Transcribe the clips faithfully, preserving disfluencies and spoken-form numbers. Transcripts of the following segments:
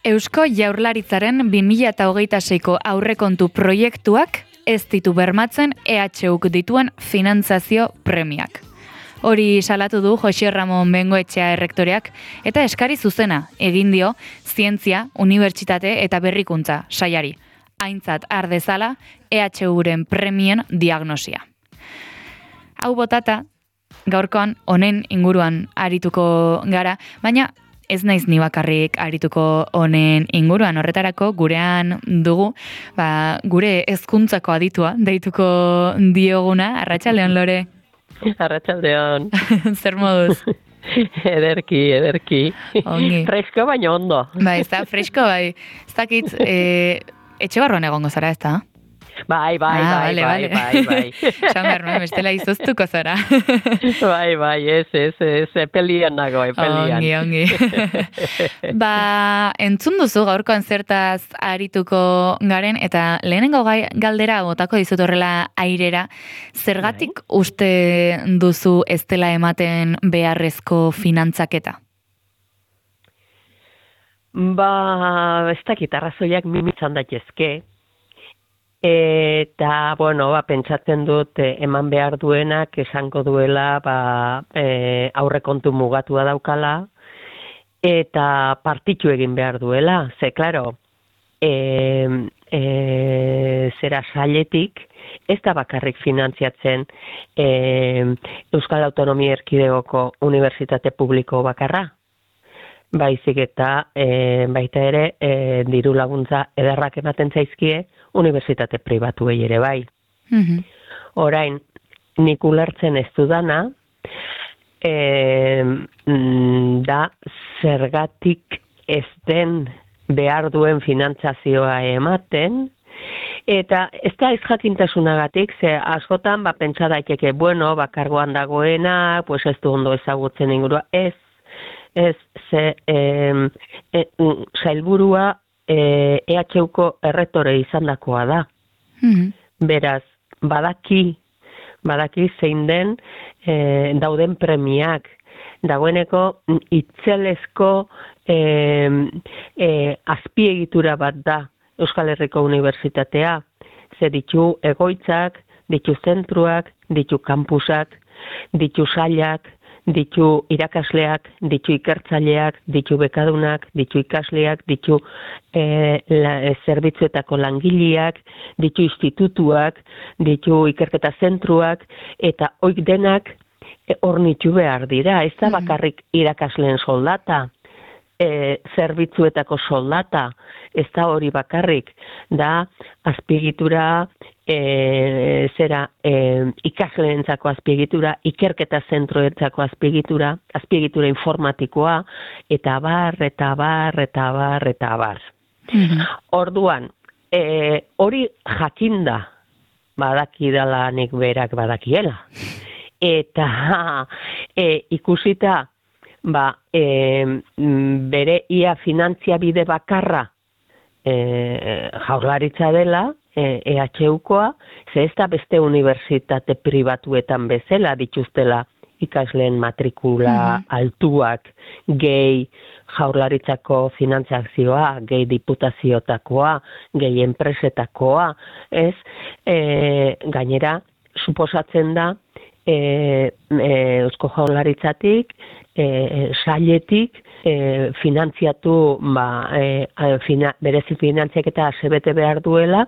Eusko Jaurlaritzaren bi mila hogeita seiko aurrekontu proiektuak ez ditu bermatzen E H Uk dituen finantzazio premiak. Hori salatu du Jose Ramon Bengoetxea errektoreak eta eskari zuzena egin dio Zientzia, Unibertsitate eta Berrikuntza sailari. Aintzat har dezala E H Uren premien diagnosia. Hau botata, gaurkoan honen inguruan arituko gara, baina ez naiz ni bakarrik arituko honen inguruan. Horretarako gurean dugu, ba, gure hezkuntzako aditua deituko dioguna. Arratsaldeon, Lore. Arratsaldeon. Zer moduz? Ederki, ederki. Ongi. Fresko baino ondo. Bai, ez da, fresko, bai. Ez dakit, e, etxe barruan egongo zara, ez da? Bai, bai, ah, bai, vale, bai, vale. bai, bai. Esan behar nuen, bestela izoztuko zara. Bai, bai, ez, ez, ez, epelian nago, epelian. Ongi, ongi. Ba, entzun duzu gaurkoan zertaz arituko garen, eta lehenengo gai, galdera botako dizut horrela airera, zergatik bai. Uste duzu ez dela ematen beharrezko finantzaketa? Ba, ez dakit, arrazoiak mimitzan daitezke. Eta, bueno, ba, pentsatzen dut eh, eman behar duenak esango duela ba, eh, aurrekontu mugatua daukala eta partitu egin behar duela. Ze, klaro, eh, eh, zera sailetik ez da bakarrik finantziatzen eh, Euskal Autonomia Erkidegoko Unibertsitate Publiko bakarra. Baizik eta e, baita ere e, diru laguntza ederrak ematen zaizkie unibertsitate pribatuei ere bai. Mm-hmm. Orain, nik ulertzen ez dudana, e, da zergatik ez den behar duen finantzazioa ematen, eta ez da ez jakintasunagatik, ze askotan ba, pentsa daiteke, bueno, bakargoan dagoena, pues ez du ondo ezagutzen ingurua, ez, Ez, ze, e, e, sailburua e, E H Uko erretore izandakoa da. Mm-hmm. Beraz, badaki, badaki zein den e, dauden premiak. Dagoeneko itzelezko e, e, azpiegitura bat da Euskal Herriko Unibertsitatea. Ze ditu egoitzak, ditu zentruak, ditu kampusak, ditu sailak, ditu irakasleak, ditu ikertzaileak, ditu bekadunak, ditu ikasleak, ditu e, la, e, zerbitzuetako langileak, ditu institutuak, ditu ikerketa zentruak, eta oik denak e, ornitu behar dira. Ez da bakarrik irakasleen soldata, e, zerbitzuetako soldata, ez da hori bakarrik, da azpiegitura, E, zera e, ikasleentzako azpiegitura, ikerketa zentroentzako azpiegitura, azpiegitura informatikoa, eta bar, eta bar, eta bar, eta bar. Mm-hmm. Orduan, e, hori jakinda, badakidala nik berak badakiela. Eta e, ikusita, ba, e, bere ia finantzia bide bakarra e, Jaurlaritza dela, E H Ukoa, ze ez da beste unibertsitate pribatuetan bezala dituztela ikasleen matrikula mm-hmm. altuak, gehi Jaurlaritzako finantzazioa, gehi diputaziotakoa, gehi enpresetakoa, ez? E, gainera, suposatzen da, e, e, Eusko Jaurlaritzatik, e, sailetik, e, finantziatu, ba, e, fina, berezi finantziak eta asebete behar duela,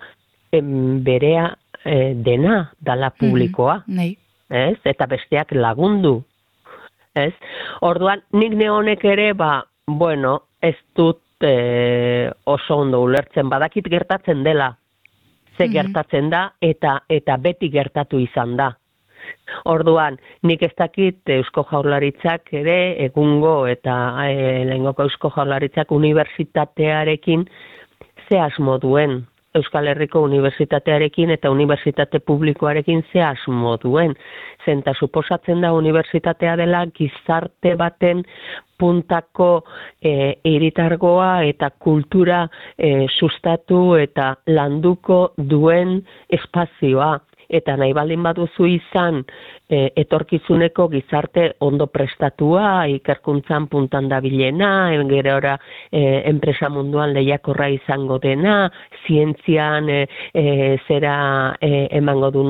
berea e, dena dala publikoa, mm-hmm. ez? Eta besteak lagundu, ez? Orduan, nik neonek ere, ba, bueno, ez dut e, oso ondo ulertzen, badakit gertatzen dela, ze mm-hmm. gertatzen da, eta eta beti gertatu izan da. Orduan, nik ez dakit Eusko Jaurlaritzak ere, egungo eta e, lehengoko Eusko Jaurlaritzak unibertsitatearekin ze asmo duen, Euskal Herriko Unibertsitatearekin eta Unibertsitate Publikoarekin ze asmo duen. Zenta suposatzen da unibertsitatea dela gizarte baten puntako e, hiritargoa eta kultura e, sustatu eta landuko duen espazioa. eta nahi baldin baduzu izan e, etorkizuneko gizarte ondo prestatua, ikerkuntzan puntan dabilena, gerora e, enpresa munduan lehiakorra izango dena, zientzian e, e, zera e, emango du,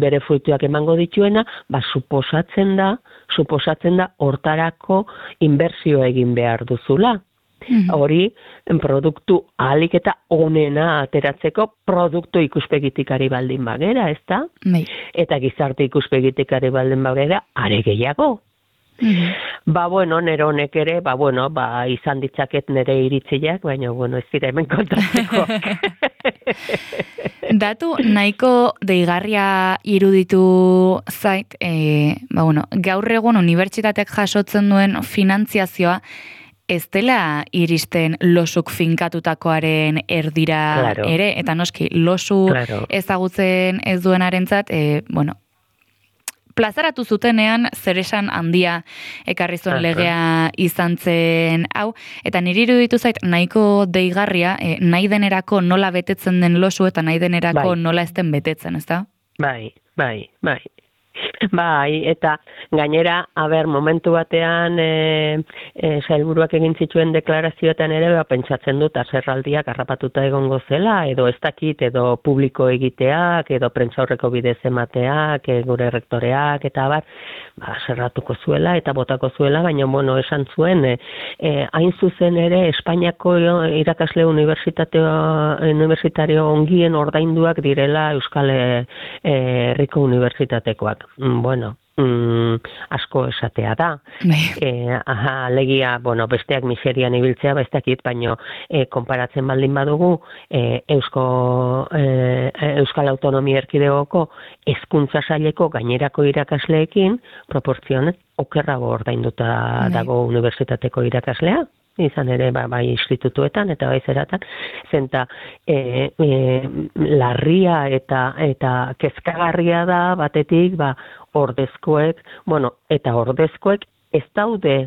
bere fruituak emango dituena, ba, suposatzen da, suposatzen da hortarako inbertsio egin behar duzula. Mm-hmm. Hori, produktu ahalik eta onena ateratzeko produktu ikuspegitik ari baldin bagera, ez da? Nei. Eta gizarte ikuspegitik ari baldin bagera, are gehiago. Mm-hmm. Ba, bueno, nere honek ere, ba, bueno, ba, izan ditzaket nere iritziak, baina, bueno, ez dira hemen kontatzeko. Datu nahiko deigarria iruditu zait, e, ba, bueno, gaur egun unibertsitateak jasotzen duen finantziazioa, ez dela iristen losuk finkatutakoaren erdira claro. ere, eta noski, losu claro. ezagutzen ez duenarentzat, e, bueno, plazaratu zutenean zeresan handia ekarri zuen legea izan zen hau, eta niri iruditu zait nahiko deigarria, e, nahi denerako nola betetzen den losu eta nahi denerako bai. Nola ez den betetzen, ez da? Bai, bai, bai. Bai, eta gainera, aber, momentu batean e, e, sailburuak egin zituen deklarazioetan ere, ba, pentsatzen dut aserraldiak harrapatuta egongo zela, edo ez dakit, edo publiko egiteak, edo prentsaurreko bidez emateak, e, gure rektoreak, eta bar, ba, aserratuko zuela, eta botako zuela, baina, bueno, esan zuen, e, e, hain zuzen ere, Espainiako irakasle universitario ongien ordainduak direla Euskal Herriko Unibertsitatekoak. Bueno, mm, asko esatea da. E, aha, legia, bueno, besteak miserian ibiltzea, ba ez dakit, baino e, konparatzen baldin badugu, e, Eusko, e, Euskal Autonomia Erkidegoko hezkuntza saileko gainerako irakasleekin, proportzioan okerrago ordainduta dago unibertsitateko irakaslea. Izan ere, ba, bai institutuetan eta bai zeratan, zenta e, e, larria eta eta kezkagarria da batetik, ba, ordezkoek, bueno, eta ordezkoek ez daude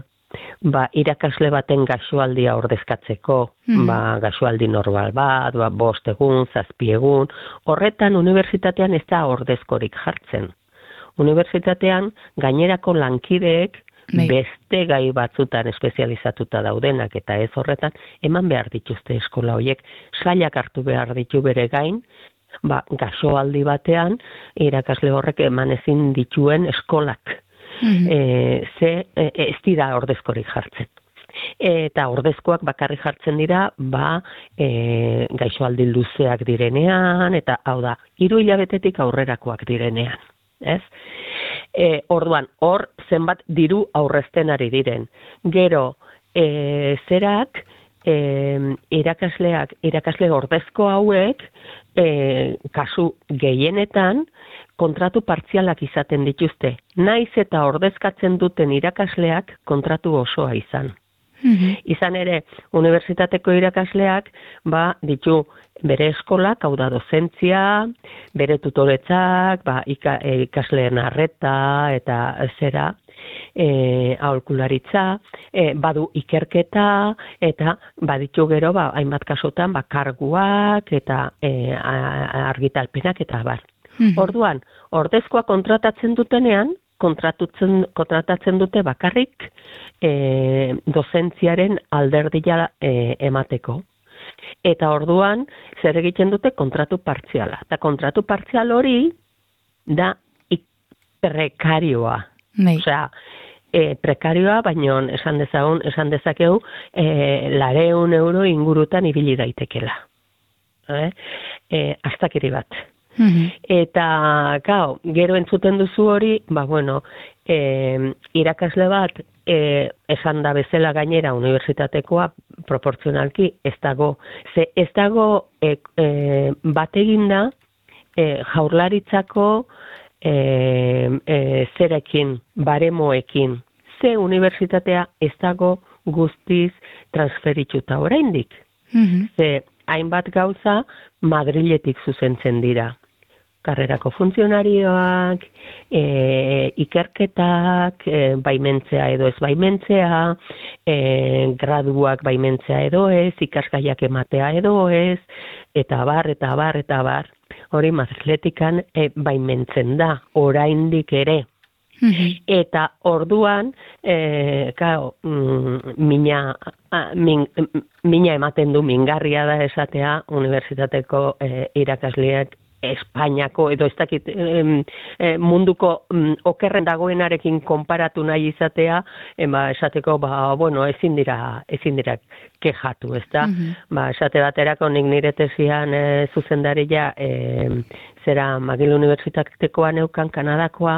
ba, irakasle baten gaixoaldia ordezkatzeko, mm. ba, gaixoaldi normal bat, ba, bost egun, zazpi egun, horretan unibertsitatean ez da ordezkorik jartzen. Unibertsitatean gainerako lankideek Nei. Beste gai batzutan espezializatuta daudenak eta ez horretan, eman behar dituzte eskola horiek, sailak hartu behar ditu bere gain, ba, gaixoaldi batean, irakasle horrek eman ezin dituen eskolak. Mm-hmm. E, ze e, ez dira ordezkorik jartzen. Eta ordezkoak bakarrik jartzen dira, ba, e, gaixoaldi luzeak direnean, eta hau da, hiru hilabetetik aurrerakoak direnean. Ez? E, orduan, hor zenbat diru aurrezten ari diren. Gero, e, zerak, e, irakasleak, irakasle ordezko hauek, e, kasu gehienetan, kontratu partzialak izaten dituzte. Naiz eta ordezkatzen duten irakasleak kontratu osoa izan. Mm-hmm. Izan ere, unibertsitateko irakasleak, ba, ditu bere eskolak, hau da dozentzia, bere tutoretzak, ba, ika, ikasleen arreta eta zera, e, aholkularitza, e, badu ikerketa, eta baditu gero, ba, hainbat kasutan, ba, karguak eta e, argitalpenak eta bar. Mm-hmm. Orduan, ordezkoa kontratatzen dutenean, kontratatzen, kontratatzen dute bakarrik e, dozentziaren alderdia e, emateko. Eta orduan, zer egiten dute kontratu partziala. Eta kontratu partzial hori da prekarioa. Nei. Osea, e, prekarioa, baino esan dezagun, esan dezakegu, e, lareun euro ingurutan ibili daitekela. Eh? E, astakiri bat. Mm-hmm. Eta, gau, gero entzuten duzu hori, ba, bueno, e, irakasle bat, e, esan da bezala gainera unibertsitatekoa proportzionalki ez dago. Ze ez dago e, e, bat eginda e, jaurlaritzako e, e, zerekin, baremoekin. Ze unibertsitatea ez dago guztiz transferituta oraindik. Mm-hmm. Ze hainbat gauza Madriletik zuzentzen dira. karrerako funtzionarioak, e, ikerketak, e, baimentzea edo ez baimentzea, e, graduak baimentzea edo ez, ikasgaiak ematea edo ez, eta bar, eta bar, eta bar. Hori Madriletikan e, baimentzen da, oraindik ere. Eta orduan, e, kao, mm, mina, min, mina ematen du, mingarria da esatea, unibertsitateko e, irakasleak Espainiako, edo ez dakit e, e, munduko mm, okerren dagoenarekin konparatu nahi izatea, ema esateko, ba, bueno, ezin dira, ezin dira kejatu, ez da? Mm-hmm. Ba, esate baterako nik nire tesian e, zuzendaria, e, zera McGill Unibertsitatekoa neukan Kanadakoa,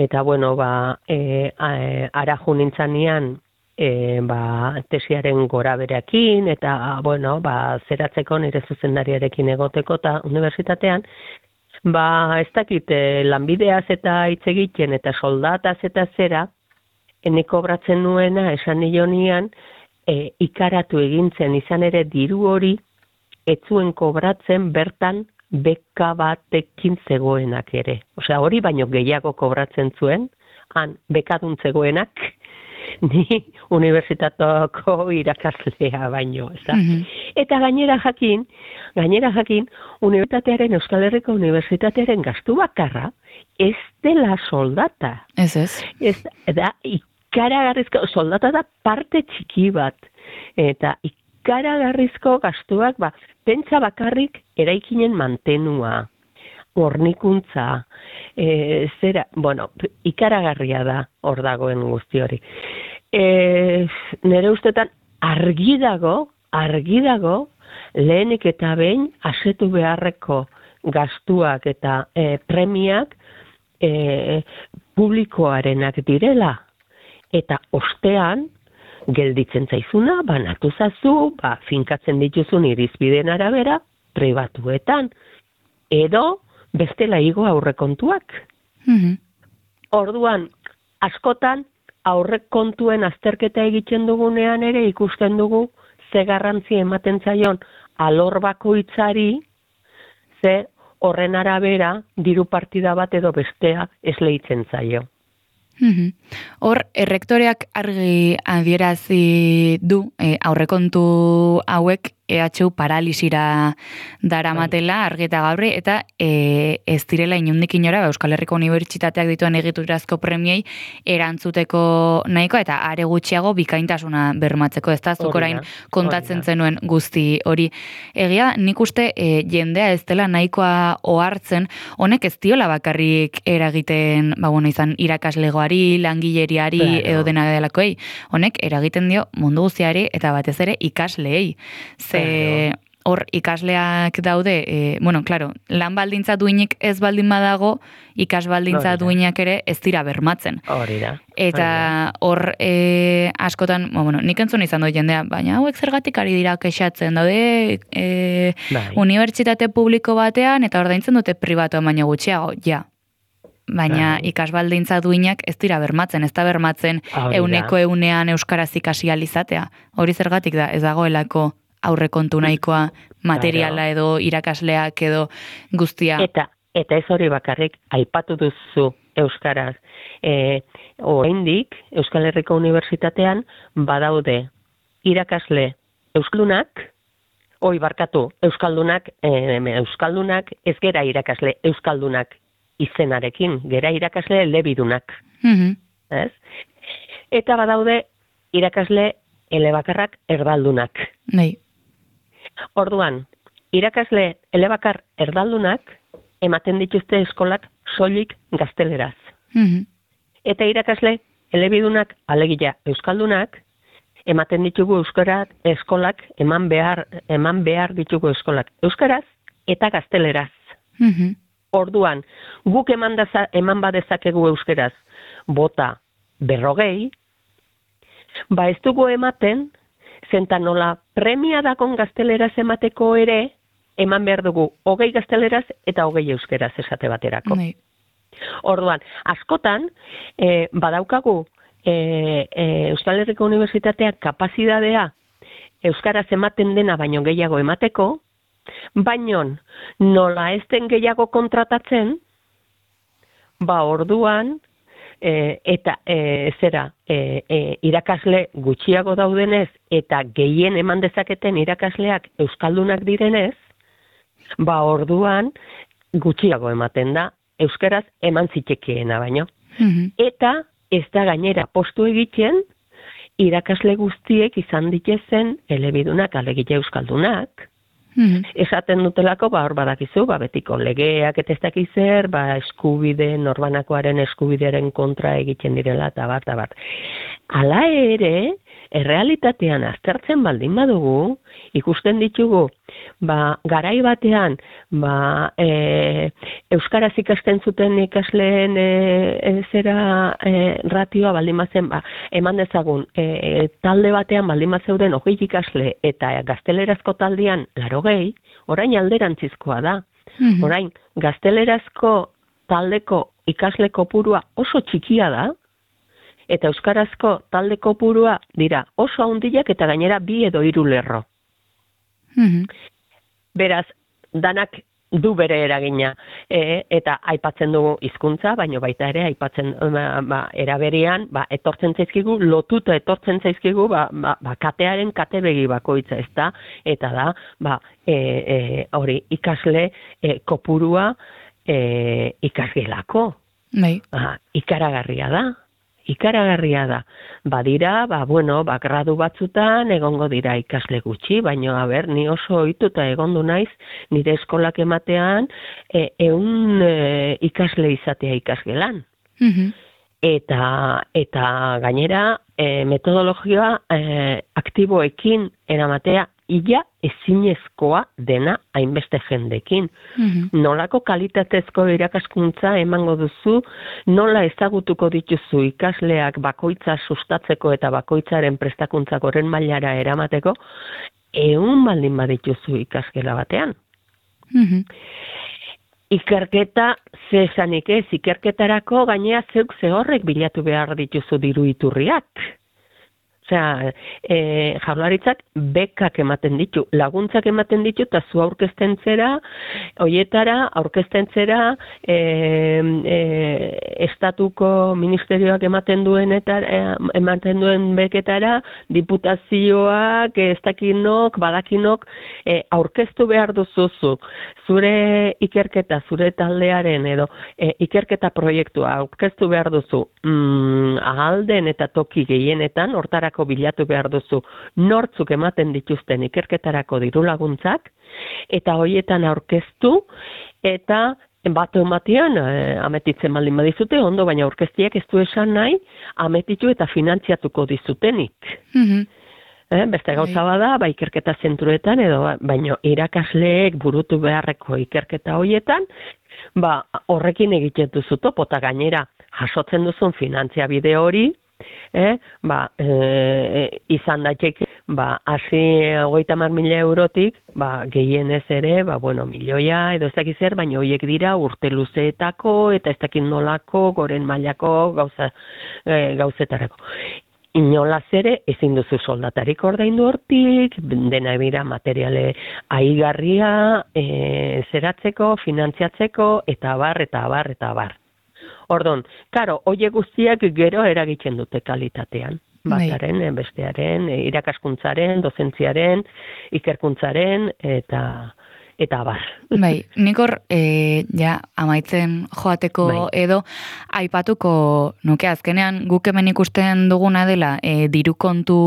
eta bueno, ba, e, araju nintzanean, e, ba, tesiaren gora bereakin, eta bueno, ba, zeratzeko nire zuzendariarekin egoteko eta unibertsitatean, ba, ez dakit, e, lanbideaz eta hitz egiten eta soldataz eta zera, ene kobratzen nuena, esan nionian, e, ikaratu egintzen izan ere diru hori, ez zuen kobratzen bertan beka batekin zegoenak ere. Osea, hori baino gehiago kobratzen zuen, han bekadun zegoenak, ni unibertsitatoko irakaslea baino, ez da? Mm-hmm. Eta gainera jakin, gainera jakin, unibertsitatearen, Euskal Herriko Unibertsitatearen gastu bakarra, ez dela soldata. Ez ez. Ez da, ikaragarrizko, soldata da parte txiki bat, eta ikaragarrizko gastuak, ba, pentsa bakarrik eraikinen mantenua, hornikuntza, e, zera, bueno, ikaragarria da hor dagoen guzti hori. E, nire ustetan argi dago, argi dago, lehenik eta behin asetu beharreko gastuak eta e, premiak e, publikoarenak direla. Eta ostean, gelditzen zaizuna, banatu zazu, ba, finkatzen dituzun irizbideen arabera, pribatuetan, edo bestela igo aurrekontuak. Mm-hmm. Orduan, askotan, aurrekontuen azterketa egiten dugunean ere ikusten dugu ze garrantzi ematen zaion alor bakoitzari, ze horren arabera diru partida bat edo bestea esleitzen zaio. Mm-hmm. Hor, errektoreak argi adierazi du e, aurrekontu hauek E H U paralisira daramatela argi eta gaurri, eta e, ez direla inundik inora Euskal Herriko Unibertsitateak dituen egiturazko premiei erantzuteko nahikoa, eta are gutxiago bikaintasuna bermatzeko, ez da zuk orain kontatzen zenuen guzti hori. Egia, nik uste e, jendea ez dela nahikoa ohartzen, honek ez diola bakarrik eragiten, ba bueno, izan irakaslegoari, langileriari, claro, edo dena delakoei, honek eragiten dio mundu guztiari eta batez ere ikasleei. Ze hor ikasleak daude, e, bueno, claro, lan baldintza duinik ez baldin badago, ikas baldintza duinak ere ez dira bermatzen. Hori da. Eta hor e, askotan, bueno, nik entzun izan dut jendea, baina hauek zergatik ari dira kexatzen daude e, unibertsitate publiko batean, eta ordaintzen dute pribatuan baino gutxiago, ja. Baina bai, ikasbaldintza duinak ez dira bermatzen, ez da bermatzen euneko eunean euskaraz ikasi alizatea. Hori zergatik da, ez dagoelako aurrekontu nahikoa materiala edo irakasleak edo guztia. Eta, eta ez hori bakarrik, aipatu duzu euskaraz. E, oraindik Euskal Herriko Unibertsitatean badaude irakasle euskaldunak, oi barkatu, euskaldunak, e, euskaldunak ez gera irakasle euskaldunak izenarekin, gera irakasle elebidunak. Mm-hmm. Ez? Eta badaude irakasle elebakarrak erdaldunak. Nei. Orduan, irakasle elebakar erdaldunak ematen dituzte eskolak soilik gazteleraz. Mm-hmm. Eta irakasle elebidunak, alegia euskaldunak, ematen ditugu euskaraz eskolak, eman behar, eman behar ditugu eskolak euskaraz eta gazteleraz. Mm-hmm. Orduan, guk eman, daza, eman badezakegu euskeraz bota berrogei, ba ez dugu ematen, zenta nola premia dakon gazteleraz emateko ere, eman behar dugu hogei gazteleraz eta hogei euskeraz esate baterako. Nee. Orduan, askotan, e, badaukagu e, e, Euskal Herriko Unibertsitateak kapazitatea euskaraz ematen dena baino gehiago emateko, Baina nola ez den gehiago kontratatzen, ba orduan, e, eta e, zera, e, e, irakasle gutxiago daudenez, eta gehien eman dezaketen irakasleak euskaldunak direnez, ba orduan gutxiago ematen da, euskaraz eman zitekeena baino. Mhm. Eta ez da gainera postu egiten, irakasle guztiek izan ditezen elebidunak, alegile euskaldunak, Mhm. esaten dutelako, ba, hor badakizu, ba, betiko legeak eta ez dakiz zer, ba, eskubide, norbanakoaren eskubidearen kontra egiten direla, eta bat, eta bat. Hala ere, errealitatean aztertzen baldin badugu, ikusten ditugu, ba, garai batean, ba, e, euskaraz ikasten zuten ikasleen e, e, zera e, ratioa baldin bazen, ba, eman dezagun, e, talde batean baldin bazeuden hogei ikasle eta gaztelerazko taldean larogei, orain alderantzizkoa da. Mhm. Orain, gaztelerazko taldeko ikasle kopurua oso txikia da, eta euskarazko talde kopurua dira oso handiak eta gainera bi edo hiru lerro. Mhm. Beraz, danak du bere eragina, e, eta aipatzen dugu hizkuntza, baino baita ere aipatzen ba, ba, eraberian, ba, etortzen zaizkigu, lotuta etortzen zaizkigu, ba, ba, ba katearen katebegi bakoitza, ez da, eta da, ba, e, e, hori ikasle e, kopurua e, ikasgelako. Bai. Ba, ikaragarria da. Ikaragarria da. Badira, ba, bueno, ba, gradu batzutan egongo dira ikasle gutxi, baina, a ber, ni oso ohituta egondu naiz, nire eskolak ematean, e, eun e, ikasle izatea ikasgelan. Mhm. Eta, eta gainera, e, metodologia e, aktiboekin eramatea, ia ezinezkoa dena hainbeste jendekin. Mhm. Nolako kalitatezko irakaskuntza emango duzu, nola ezagutuko dituzu ikasleak bakoitza sustatzeko eta bakoitzaren prestakuntza goren mailara eramateko, ehun baldin badituzu ikasgela batean. Mhm. Ikerketa ze esanik ez, ikerketarako gainea zeuk ze horrek bilatu behar dituzu diru iturriak. Osea, e, jaurlaritzak bekak ematen ditu, laguntzak ematen ditu, eta zu aurkezten zera, hoietara, aurkezten zera, e, e, estatuko ministerioak ematen duen eta e, ematen duen beketara, diputazioak, ez dakinok, badakinok, e, aurkeztu behar duzuzu, zure ikerketa, zure taldearen edo e, ikerketa proiektua aurkeztu behar duzu, mm, ahalden eta toki gehienetan, hortara bilatu behar duzu nortzuk ematen dituzten ikerketarako diru laguntzak, eta hoietan aurkeztu, eta bat ematean e, ametitzen baldin badizute, ondo, baina aurkeztiak ez du esan nahi, ametitu eta finantziatuko dizutenik. Mhm. Eh, beste gauza bada, ba, ikerketa zentruetan, edo baino irakasleek burutu beharreko ikerketa hoietan, ba, horrekin egiten duzu topo, eta gainera jasotzen duzun finantzia bide hori, Eh, ba, e, izan daiteke, ba, hasi hogeita hamar mila eurotik, ba, gehienez ere, ba, bueno, milioia edo ez dakiz zer, baina horiek dira urte luzeetako eta ez dakit nolako, goren mailako gauza, e, gauzetarako. Inolaz ere, ezin duzu soldatarik ordaindu hortik, dena bira materiale aigarria, e, zeratzeko, finantziatzeko, eta abar, eta abar, eta abar. Ordon, karo, hoie guztiak gero eragiten dute kalitatean. Bataren, bestearen, irakaskuntzaren, dozentziaren, ikerkuntzaren, eta eta bar. Bai, nik hor, e, ja, amaitzen joateko bai. Edo, aipatuko nuke azkenean guk hemen ikusten duguna dela, e, diru kontu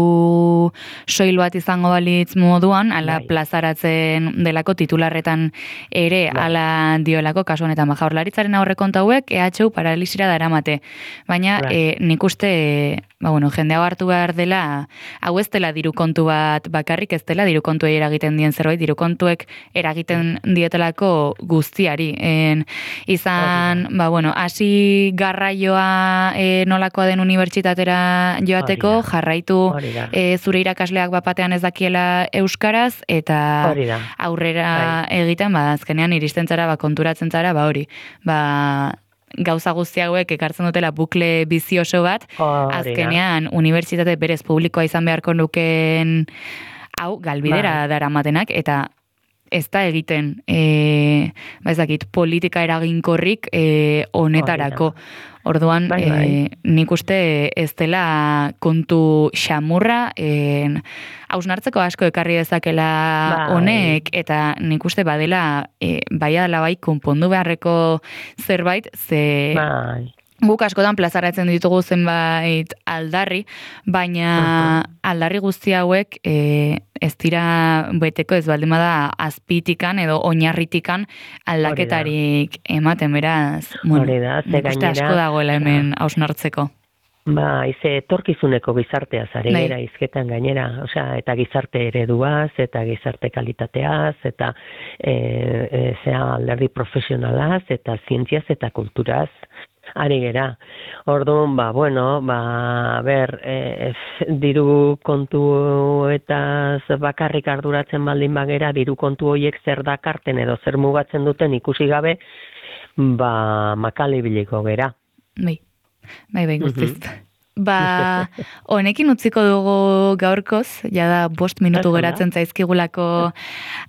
soil bat izango balitz moduan, ala bai. Plazaratzen delako titularretan ere, bai. Ala diolako kasu honetan, ba, Jaurlaritzaren aurrekontu hauek E H U paralisira daramate. Baina bai. e, nik uste, e, ba, bueno, jende hau hartu behar dela, hau ez dela diru kontu bat bakarrik, ez dela diru kontuei eragiten dien zerbait, diru kontuek eragiten dietelako guztiari. En, izan, ba, bueno, hasi garraioa e, nolakoa den unibertsitatera joateko, jarraitu e, zure irakasleak bapatean ez dakiela euskaraz, eta aurrera Bai. egiten, ba, azkenean iristen zara, ba, konturatzen zara, ba, hori, ba, gauza guzti hauek ekartzen dutela bukle bizioso bat, oh, azkenean unibertsitate berez publikoa izan beharko nuken hau galbidera bai. Daramatenak, eta ez da egiten, e, ba ez dakit, politika eraginkorrik e, honetarako. Orduan, bai, bai. E, nik uste ez dela kontu xamurra, e, hausnartzeko asko ekarri dezakela Bai. honek, eta nik uste badela, e, bai adala bai, konpondu beharreko zerbait, ze... Bai. Guk askotan plazaratzen ditugu zenbait aldarri, baina aldarri guzti hauek e, ez dira beteko ez baldin bada azpitikan edo oinarritikan aldaketarik ematen, beraz, bueno, da, ze nik uste asko dagoela hemen hausnartzeko. Ba, ize etorkizuneko gizarteaz ari Bai. gera hizketan gainera, osea, eta gizarte ereduaz, eta gizarte kalitateaz, eta e, e, zea alderdi profesionalaz, eta zientziaz eta kulturaz ari gera. Orduan, ba, bueno, ba, ber, e, diru kontu eta bakarrik arduratzen baldin bagera, diru kontu horiek zer dakarten edo zer mugatzen duten ikusi gabe, ba, makalibiliko gera. Bai, bai, bai, guztiz. Ba, honekin utziko dugu gaurkoz, jada bost minutu geratzen zaizkigulako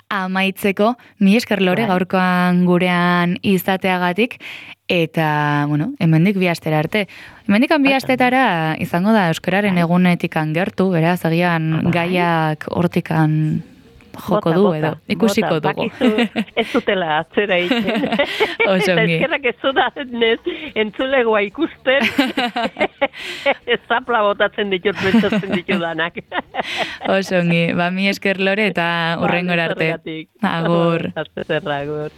amaitzeko, mi esker Lore gaurkoan gurean izateagatik, eta, bueno, hemendik bi astera arte. Hemendik bi astetara izango da euskararen egunetikan gertu, beraz, agian gaiak hortikan joko du edo, ikusiko dugu. Ez zutela atzera iten. Eta eskerrak ez zudanez entzulegoa ikusten, zapla botatzen ditut, pentsatzen ditudanak. Osongi, ba, mi esker Lore eta hurrengora arte. Agur. Agur.